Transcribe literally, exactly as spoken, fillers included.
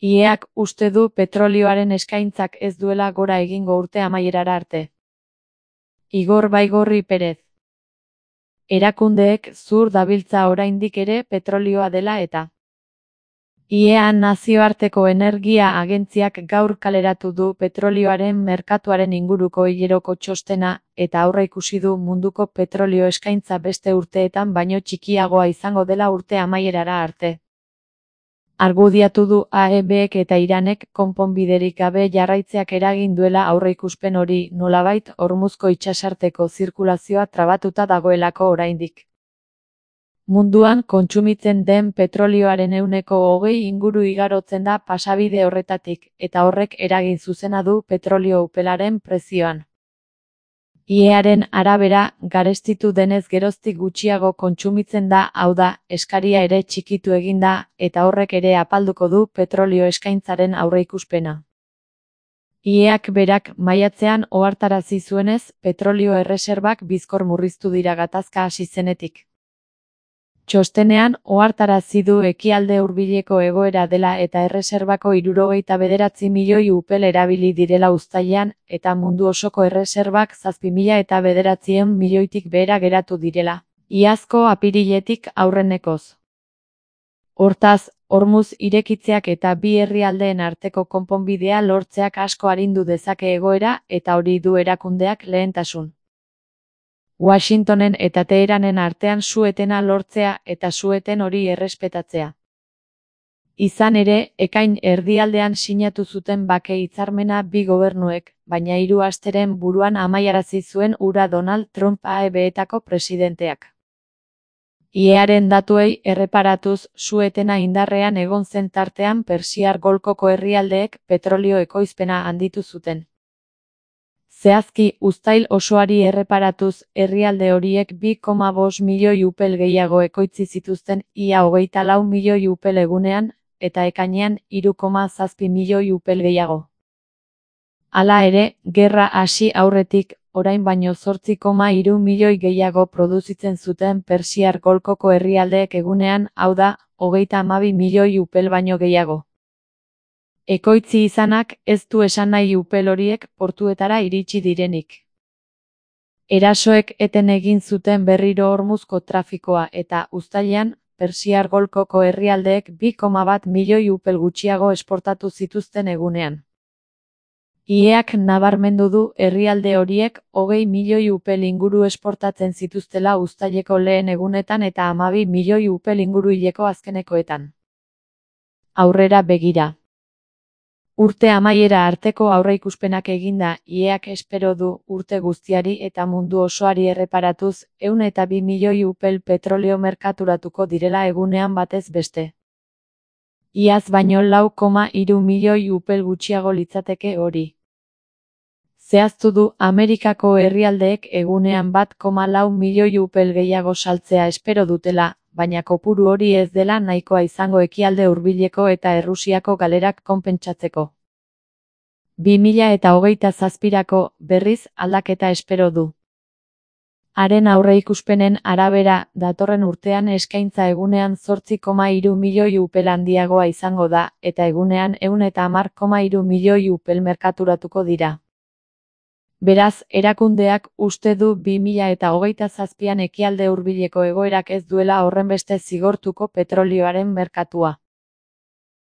I E-ak uste du petrolioaren eskaintzak ez duela gora egingo urte amaierara arte. Igor Baigorri Perez. Erakundeek zur dabiltza oraindik ere petrolioa dela eta. I E A Nazioarteko Energia Agentziak gaur kaleratu du petrolioaren merkatuaren inguruko hileroko txostena, eta aurreikusi du munduko petrolio eskaintza beste urteetan baino txikiagoa izango dela urte amaierara arte. Argudiatu du A E Bek eta Iranek konponbiderik gabe jarraitzeak eragin duela aurreikuspen hori, nolabait Hormuzko itsasarteko zirkulazioa trabatuta dagoelako oraindik. Munduan kontsumitzen den petrolioaren ehuneko hogei inguru igarotzen da pasabide horretatik, eta horrek eragin zuzena du petrolio upelaren prezioan. I E Aren arabera, garestitu denez geroztik gutxiago kontsumitzen da, hau da, eskaria ere txikitu egin da, eta horrek ere apalduko du petrolio eskaintzaren aurreikuspena. I E Ak berak maiatzean ohartarazi zuenez, petrolio erreserbak bizkor murriztu dira gatazka hasi zenetik. Txostenean ohartarazi du ekialde hurbileko egoera dela eta erreserbako hirurogeita bederatzi milioi upel erabili direla uztailean, eta mundu osoko erreserbak zazpi mila eta bederatziehun milioitik behera geratu direla, iazko apiriletik aurrenekoz. Hortaz, Hormuz irekitzeak eta bi herrialdeen arteko konponbidea lortzeak asko arindu dezake egoera, eta hori du erakundeak lehentasun. Washingtonen eta Teheranen artean su-etena lortzea eta su-eten hori errespetatzea. Izan ere, ekain erdialdean sinatu zuten bake hitzarmena bi gobernuek, baina hiru asteren buruan amaiarazi zuen hura Donald Trump A E Betako presidenteak. I E Aren datuei erreparatuz, su-etena indarrean egon zen tartean Persiar Golkoko herrialdeek petrolio ekoizpena handitu zuten. Zehazki, uztail osoari erreparatuz, herrialde horiek bi koma bost milioi upel gehiago ekoitzi zituzten ia hogeita lau milioi upel egunean, eta ekainean hiru koma zazpi milioi upel gehiago. Hala ere, gerra hasi aurretik, orain baino zortzi koma hiru milioi gehiago produzitzen zuten Persiar Golkoko herrialdeek egunean, hau da, hogeita hamabi milioi upel baino gehiago. Ekoitzi izanak ez du esan nahi upel horiek portuetara iritsi direnik. Erasoek eten egin zuten berriro Hormuzko trafikoa eta uztailean, Persiar Golkoko herrialdeek bi koma bat milioi upel gutxiago esportatu zituzten egunean. I E Ak nabarmendu du herrialde horiek hogei milioi upel inguru esportatzen zituztela uztaileko lehen egunetan eta hamabi milioi upel inguru hileko azkenekoetan. Aurrera begira. Urte amaiera arteko aurreikuspenak eginda, I E Ak espero du urte guztiari eta mundu osoari erreparatuz, ehun eta bi milioi upel petrolio merkaturatuko direla egunean batez beste. Iaz baino lau koma hiru milioi upel gutxiago litzateke hori. Zehaztu du Amerikako herrialdeek egunean bat koma lau milioi upel gehiago saltzea espero dutela, baina kopuru hori ez dela nahikoa izango ekialde hurbileko eta Errusiako galerak konpentsatzeko. bi mila eta hogeita zazpirako, berriz, aldaketa espero du. Haren aurreikuspenen arabera, datorren urtean eskaintza egunean zortzi koma hiru milioi upel handiagoa izango da, eta egunean ehun eta hamar koma hiru milioi upel merkaturatuko dira. Beraz, erakundeak uste du bi mila eta hogeita zazpian ekialde hurbileko egoerak ez duela horrenbeste zigortuko petrolioaren merkatua.